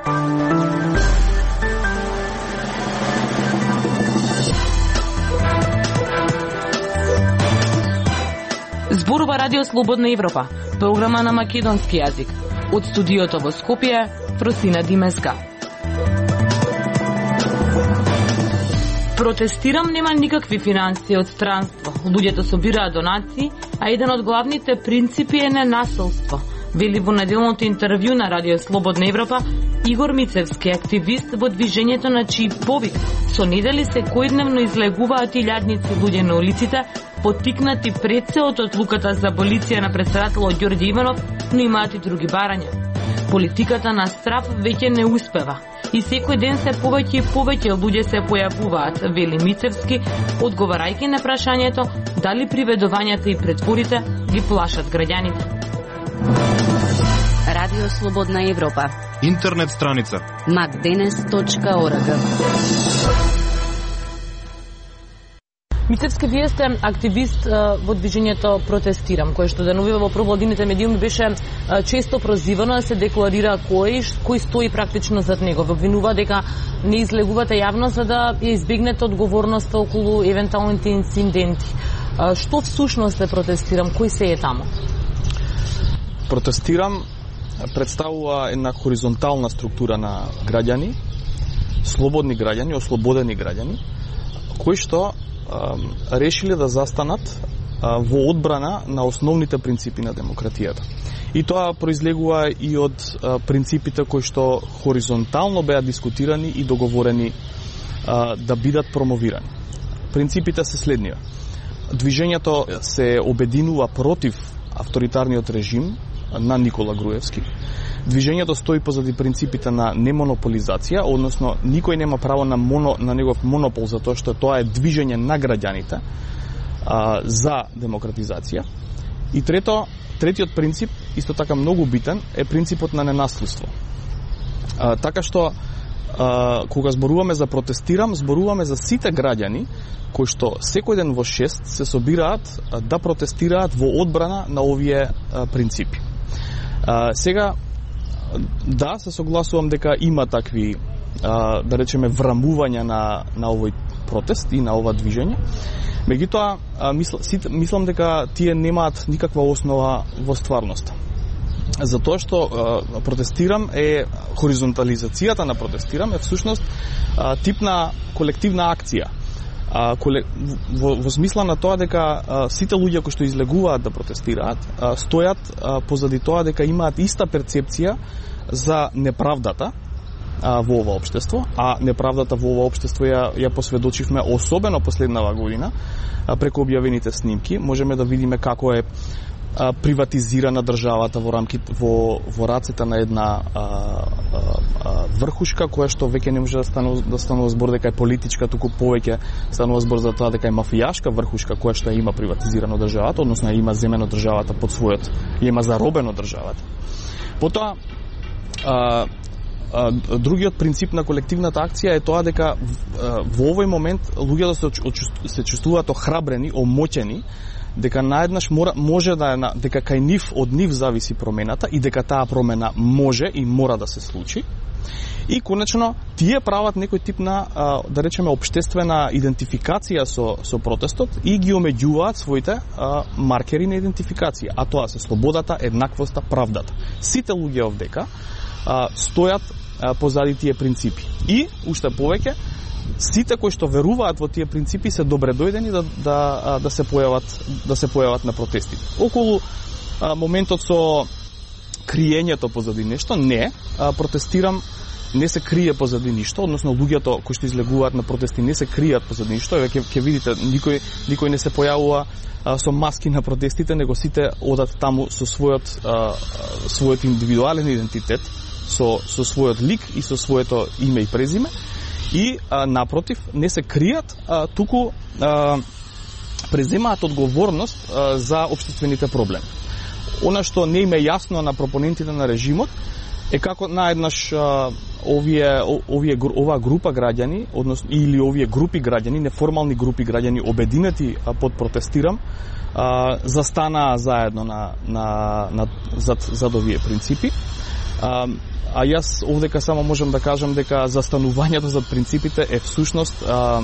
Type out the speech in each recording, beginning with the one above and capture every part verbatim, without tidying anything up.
Зборува Радио Слободна Европа, програма на македонски јазик. Од студиото во Скопје, Фросина Димеска. Протестирам нема никакви финансии од странство. Луѓето собираат донации, а еден од главните принципи е ненасилство. Вели во неделното интервју на Радио Слободна Европа Игор Мицевски, активист во движењето на чиј повик со недели секојдневно излегуваат илјадници луѓе на улиците, поттикнати пред се од одлуката за аболиција на претседателот Ѓорѓе Иванов, но имаат и други барања. Политиката на страв веќе не успева и секој ден се повеќе и повеќе луѓе се појавуваат, вели Мицевски, одговарајќи на прашањето дали приведувањата и претворите ги плашат граѓаните. Радио Слободна Европа. Интернет страница макденес точка орг. Мицевски, вие сте активист во движењето Протестирам, кое што деновива во провладините медиуми беше често прозивано да се декларира кој кој стои практично зад него. Ве обвинува дека не излегувате јавно за да ја избегнете одговорноста околу евентуалните инциденти. Што всушност е Протестирам? Кој се е таму? Протестирам представува една хоризонтална структура на граѓани, слободни граѓани, ослободени граѓани, кои што решиле да застанат во одбрана на основните принципи на демократијата. И тоа произлегува и од принципите кои што хоризонтално беа дискутирани и договорени да бидат промовирани. Принципите се следнива. Движењето се обединува против авторитарниот режим на Никола Груевски. Движењето стои позади принципите на немонополизација, односно никој нема право на моно, на негов монопол, затоа што тоа е движење на граѓаните а, за демократизација. И трето, третиот принцип, исто така многу битен, е принципот на ненасилство. А, така што а, кога зборуваме за Протестирам, зборуваме за сите граѓани кои што секој ден во шест се собираат а, да протестираат во одбрана на овие а, принципи. А, сега, да, се согласувам дека има такви, а, да речеме, врамувања на, на овој протест и на ова движење. Меѓутоа, мисл, мислам дека тие немаат никаква основа во стварноста. Затоа што а, Протестирам е, хоризонтализацијата на Протестирам е всушност а, тип на колективна акција. А, коле, во, во смисла на тоа дека а, сите луѓе кои што излегуваат да протестираат а, стојат а, позади тоа дека имаат иста перцепција за неправдата а, во ова општество, а неправдата во ова општество ја, ја посведочивме особено последнава година а, преку објавените снимки. Можеме да видиме како е а, приватизирана државата во рамките во, во рацете на една а, а, а, врхушка која што веќе не може да станува, да станува збор дека е политичка, туку повеќе станува збор за тоа дека е мафијашка врхушка која што има приватизирано државата, односно има земено државата под својот, има заробено државата. Потоа а, а, другиот принцип на колективната акција е тоа дека а, во овој момент луѓето се, се чувствуваат охрабрени, омоќени, дека наеднаш мора, може да е, дека кај нив, од нив зависи промената и дека таа промена може и мора да се случи. И конечно, тие прават некој тип на, да речеме, општествена идентификација со, со протестот и ги омеѓуваат своите а, маркери на идентификација, а тоа се слободата, еднаквоста, правдата. Сите луѓе овдека а, стојат а, позади тие принципи. И, уште повеќе, сите кои што веруваат во тие принципи се добре дојдени да, да, да, се, појават, да се појават на протестите. Околу а, моментот со криењето позади нешто, не, а, Протестирам не се крие позади ништо, односно луѓето кои што излегуваат на протести не се кријат позади ништо, еве ќе видите, никој никој не се појавува а, со маски на протестите, него сите одат таму со својот а, својот индивидуален идентитет, со со својот лик и со своето име и презиме. И а, напротив, не се кријат, а, туку а, преземаат одговорност а, за општествените проблеми. Она што не им е јасно на пропонентите на режимот е како наеднаш а, овие овие ова група граѓани, односно или овие групи граѓани, неформални групи граѓани обединети а, под Протестирам, а, застанаа заедно на на на зад зад овие принципи. А, а јас овдека само можам да кажам дека застанувањето за принципите е всушност а,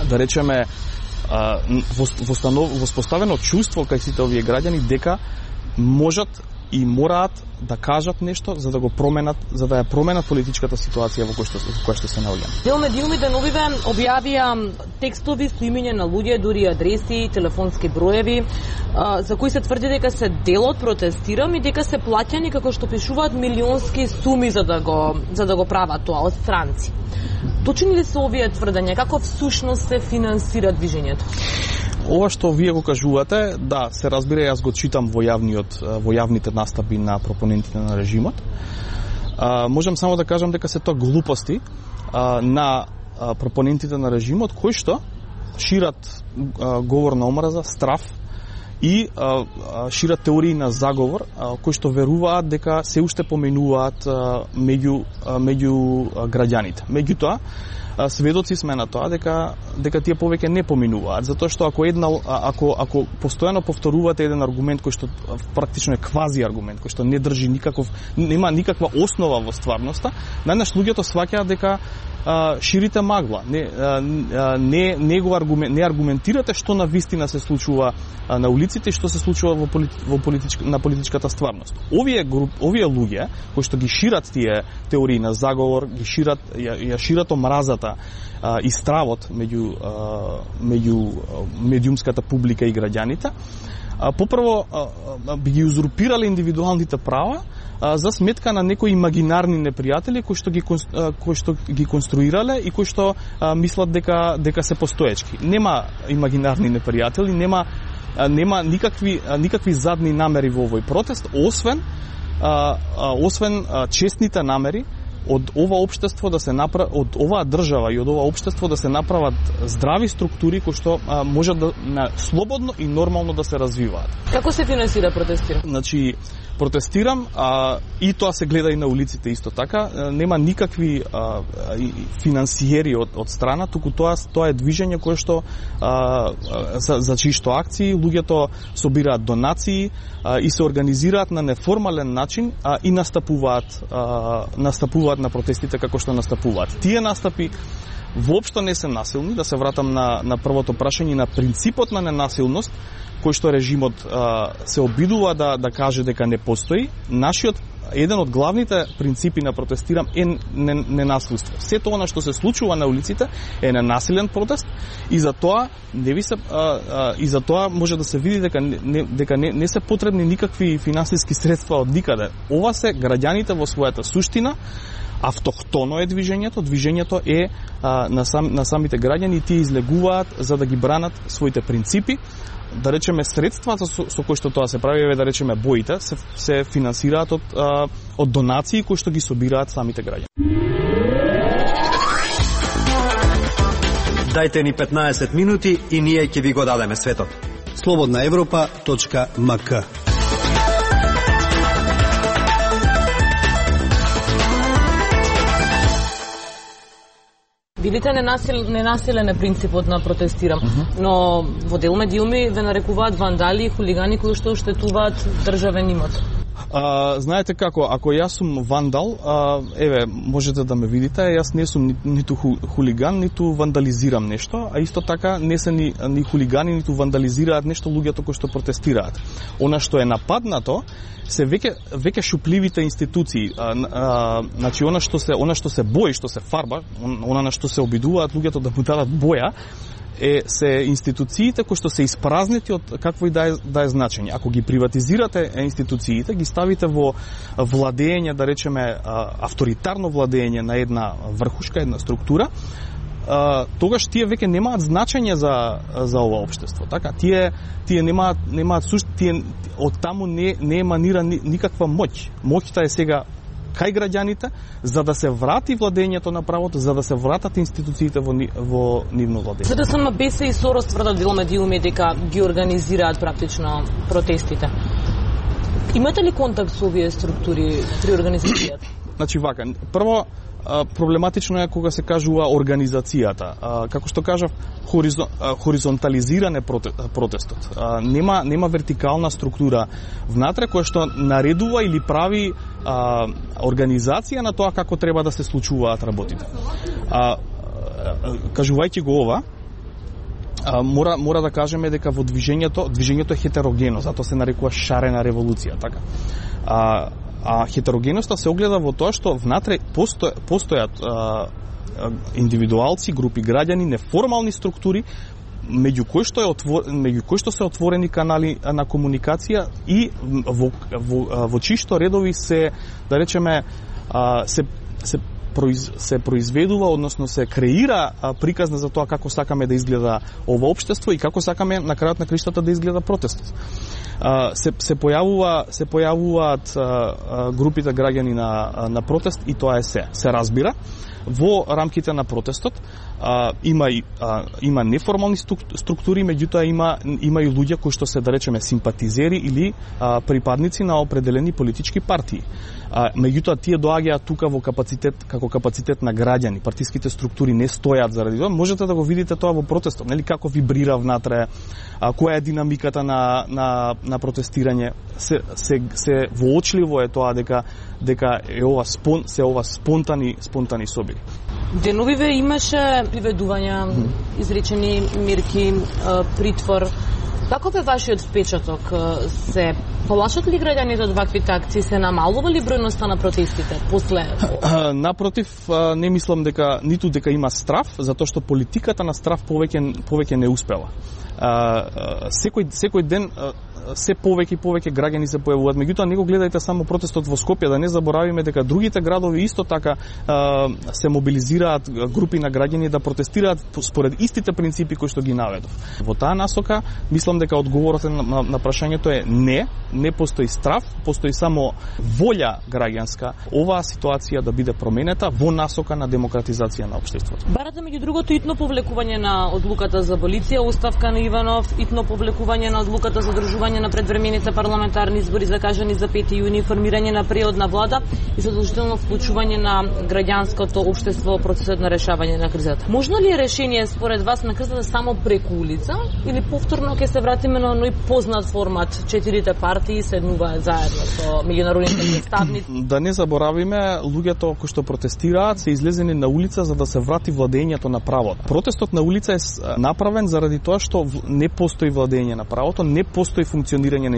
да речеме а, воспоставено чувство кај сите овие граѓани дека можат и мораат да кажат нешто за да го променат, за да ја променат политичката ситуација во која што, во која што се наоѓаме. Дел медиуми деновиве објавија текстови со имиња на луѓе, дури адреси, телефонски броеви, за кои се тврди дека се дел од протестирам и дека се плаќани како што пишуваат милионски суми за да го за да го прават тоа од странци. Точни ли се овие тврдења? Како всушност се финансира движењето? Ова што вие го кажувате, да, се разбира, јас го читам во јавниот во јавните настапи на пропонентите на режимот. А, можам само да кажам дека се тоа глупости а, на а, пропонентите на режимот кои што шират а, говор на омраза, страф и а, а, шират теории на заговор а, кои што веруваат дека се уште поменуваат а, меѓу а, меѓу а, граѓаните. Меѓутоа, сведоци сме на тоа дека дека тие повеќе не поминуваат, затоа што ако една ако ако постојано повторувате еден аргумент кој што практично е квази аргумент, кој што не држи никаков нема никаква основа во стварноста, најнаш луѓето сваќаат дека а, ширите магла. Не а, не не го аргумент не аргументирате што на вистина се случува а, на улиците и што се случува во, полит, во политичка, на политичката стварност. Овие груп, овие луѓе кои што ги шират тие теории на заговор, ги шират ја, ја шират омразата а, и стравот меѓу а, меѓу медиумската публика и граѓаните, а, попрво а, а, би ги узурпирале индивидуалните права а, за сметка на некои имагинарни непријатели кои што ги а, кои што ги конструирале и кои што а, мислат дека дека се постоечки. Нема имагинарни непријатели, нема а, нема никакви а, никакви задни намери во овој протест, освен а, а, освен а, честните намери од ова општество да се направи, од оваа држава и од ова општество да се направат здрави структури кои што а, можат да на, слободно и нормално да се развиваат. Како се финансира протестирам? Значи, протестирам а, и тоа се гледа и на улиците исто така, а, нема никакви а, финансиери од, од страна, туку тоа тоа е движење кое што а, за, за чишто акции луѓето собираат донации а, и се организираат на неформален начин а, и настапуваат а, настапуваат на протестите како што настапуваат. Тие настапи воопшто не се насилни, да се вратам на, на првото прашање, на принципот на ненасилност, кој што режимот а, се обидува да, да каже дека не постои. Нашиот еден од главните принципи на протестирам е ненасилство. Сето она што се случува на улиците е ненасилен протест и за тоа не ви се а, а, и за тоа може да се види дека не, дека не, не се потребни никакви финансиски средства од никаде. Ова се граѓаните во својата суштина. Автохтоно е движењето, движењето е а, на, сам, на самите граѓани и тие излегуваат за да ги бранат своите принципи. Да речеме средствата со, со кои што тоа се прави, да речеме боите, се, се финансираат од, а, од донации кои што ги собираат самите граѓани. Дајте ни петнаесет минути и ние ќе ви го дадеме светот. слободна европа точка ем ка. Видите, ненасил, ненасилен е принципот на протестирам, uh -huh. но во дел медиуми ве нарекуваат вандали и хулигани кои што оштетуваат државен имот. А, знаете како, ако јас сум вандал, а, еве, можете да ме видите, јас не сум ни, ниту ху, хулиган, ниту вандализирам нешто, а исто така не се ни, ни хулигани, ниту вандализираат нешто луѓето кои што протестираат. Она што е нападнато се веќе веќе шупливите институции, а, а, значи она што се она што се бои, што се фарба, она на што се обидуваат луѓето да му дадат боја, е се институциите кои што се испразнети од какво и да е, да е значење. Ако ги приватизирате институциите, ги ставите во владење, да речеме авторитарно владење на една врхушка, една структура, тогаш тие веќе немаат значење за за ова општество. Така, тие тие немаат немаат сушт, тие од таму не не еманира никаква моќ. Моќта е сега кај граѓаните, за да се врати владењето на правото, за да се вратат институциите во, во нивно владење. За да сам БЕС и Сорос тврдат дел медиуми дека ги организираат практично протестите. Имате ли контакт со овие структури при организацијата? Значи вака, прво проблематично е кога се кажува организацијата. Како што кажав, хоризон, хоризонтализиран е протестот. Нема нема вертикална структура внатре која што наредува или прави а, организација на тоа како треба да се случуваат работите. А, кажувајќи го ова, а, мора мора да кажеме дека во движењето, движењето е хетерогено, затоа се нарекува шарена револуција, така. А, а хетерогеноста се огледа во тоа што внатре посто, постојат а, индивидуалци, групи граѓани, неформални структури, меѓу кои што е отвор, меѓу кои што се отворени канали на комуникација и во во, во чишто редови се, да речеме, се се произ, се произведува, односно се креира приказна за тоа како сакаме да изгледа ова општество и како сакаме на крајот на криштата да изгледа протестот. Се се појавува се појавуваат групите граѓани на на протест и тоа е се се разбира. Во рамките на протестот а, има и а, има неформални структури, меѓутоа има има и луѓе кои што се, да речеме, симпатизери или а, припадници на определени политички партии. А, меѓутоа тие доаѓаат тука во капацитет како капацитет на граѓани. Партиските структури не стојат заради тоа. Можете да го видите тоа во протестот, нели, како вибрира внатре, а, која е динамиката на на на протестирање. Се се се воочливо е тоа дека дека е ова спон се ова спонтани спонтани соби. Деновиве имаше приведувања, изречени мерки, притвор. Каков е вашиот впечаток? Се полашат ли граѓаните од ваквите акции? Се намалува ли бројноста на протестите после? Напротив, не мислам дека ниту дека има страв, затоа што политиката на страв повеќе повеќе не успела. Секој секој ден се повеќе и повеќе граѓани се појавуваат. Меѓутоа, не го гледајте само протестот во Скопје, да не заборавиме дека другите градови исто така а, се мобилизираат групи на граѓани да протестираат според истите принципи кои што ги наведов. Во таа насока, мислам дека одговорот на, на, на прашањето е не, не постои страв, постои само волја граѓанска оваа ситуација да биде променета во насока на демократизација на општеството. Барате меѓу другото итно повлекување на одлуката за аболиција, оставка на Иванов, итно повлекување на одлуката за држување на предвремените парламентарни избори закажани за пети јуни, формирање на преодна влада и задолжително вклучување на граѓанското општество во процесот на решавање на кризата. Можно ли е решение според вас на кризата само преку улица или повторно ќе се вратиме на оној познат формат, четирите партии седнуваат заедно со меѓународните представници? Да не заборавиме, луѓето кои што протестираат се излезени на улица за да се врати владењето на правото. Протестот на улица е направен заради тоа што не постои владење на правото, не постои функционирање на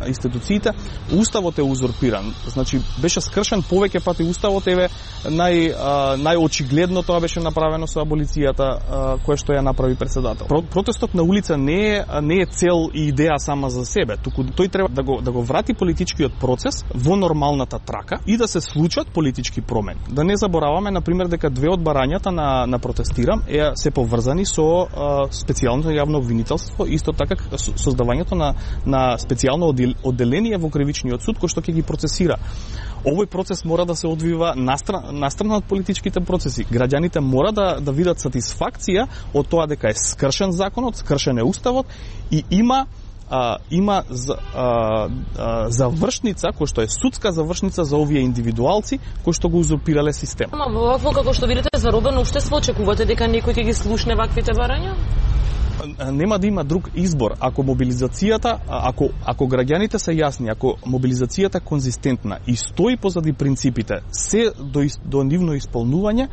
институциите, уставот е узурпиран. Значи беше скршен повеќе пати уставот, еве нај најочигледно тоа беше направено со аболицијата која што ја направи председател. Протестот на улица не е не е цел и идеја сама за себе, туку тој треба да го да го врати политичкиот процес во нормалната трака и да се случат политички промени. Да не забораваме на пример дека две од барањата на на протестирам е се поврзани со а, специјално јавно обвинителство, исто така со создавањето на на специјално одделение во кривичниот суд кој што ќе ги процесира. Овој процес мора да се одвива настрана, настрана од политичките процеси. Граѓаните мора да да видат сатисфакција од тоа дека е скршен законот, скршен е уставот и има а, има за, а, а, завршница кој што е судска завршница за овие индивидуалци кои што го узурпирале системот. Ама вакво како што видите заробено општество, очекувате дека некој ќе ги слушне ваквите барања? Нема да има друг избор ако мобилизацијата, ако ако граѓаните се јасни, ако мобилизацијата конзистентна и стои позади принципите, се до до нивно исполнување,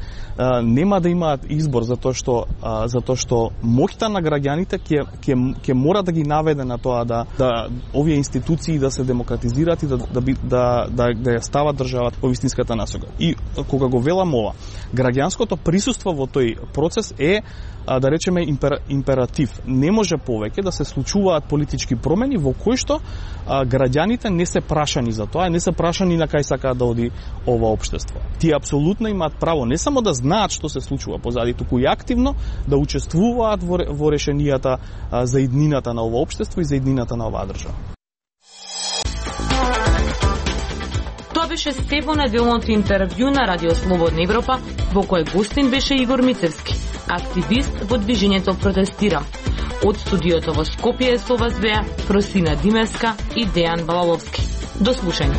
нема да имаат избор затоа што затоа што моќта на граѓаните ќе ќе ќе мора да ги наведе на тоа да да овие институции да се демократизираат и да да да да, да ја стават државата во вистинската насока. И кога го велам ова, граѓанското присуство во тој процес е, да речеме, импер, императив. Не може повеќе да се случуваат политички промени во кои што а, граѓаните не се прашани за тоа, не се прашани на кај сакаат да оди ова општество. Тие апсолутно имаат право не само да знаат што се случува позади, туку и активно да учествуваат во, во решенијата а, за иднината на ова општество и за иднината на оваа држава. Тоа беше Стефан неделното интервју на Радио Слободна Европа, во кој гостин беше Игор Мицевски, активист во движењето Протестирам. Од студиото во Скопје со вас беа Просина Димевска и Дејан Балаловски. До слушање.